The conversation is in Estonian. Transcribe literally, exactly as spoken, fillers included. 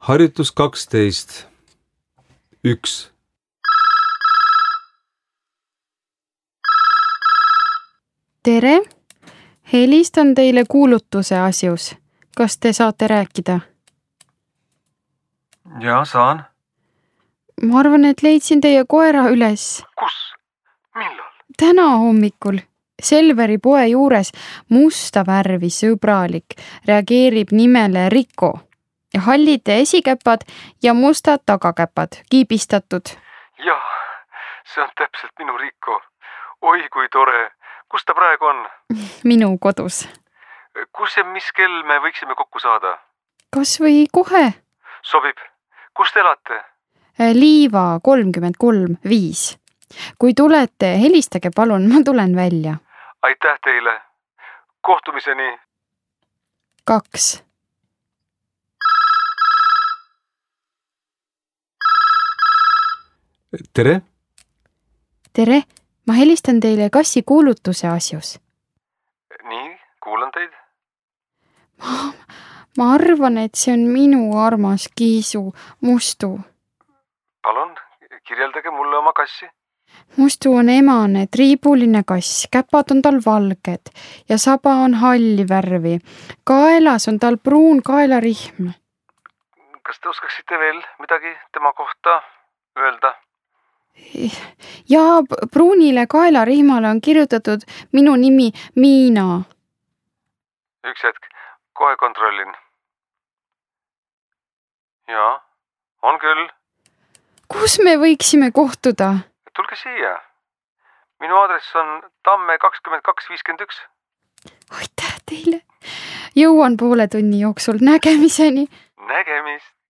Harjutus kaksteist. Üks. Tere! Helistan teile kuulutuse asjus. Kas te saate rääkida? Jaa, saan. Ma arvan, et leidsin teie koera üles. Kus? Millal? Täna hommikul. Selveri poe juures musta värvi sõbralik reageerib nimele Riko. Ja hallid esikäpad ja mustad tagakäpad, kiibistatud. Jah, see on täpselt minu Riko. Oi, kui tore. Kus ta praegu on? Minu kodus. Kus ja mis kell me võiksime kokku saada? Kas või kohe? Sobib. Kus te elate? Liiva kolmkümmend kolm viis. Kui tulete, helistage palun, ma tulen välja. Aitäh teile. Kohtumiseni. Kaks. Tere! Tere! Ma helistan teile kassi kuulutuse asjus. Nii, kuulan teid. Ma, ma arvan, et see on minu armas Kiisu Mustu. Palun, kirjeldage mulle oma kassi. Mustu on emane, triibuline kass, käpad on tal valged ja saba on halli värvi. Kaelas on tal pruun kaelarihm. Kas te oskaksite veel midagi tema kohta öelda? Ja pruunile kaelarihmale on kirjutatud minu nimi Miina. Üks hetk, kohe kontrollin. Jaa, on küll. Kus me võiksime kohtuda? Tulge siia. Minu aadress on Tamme kakskümmend kaks viiskümmend üks. Aitäh teile. Jõuan poole tunni jooksul. Nägemiseni. Nägemist.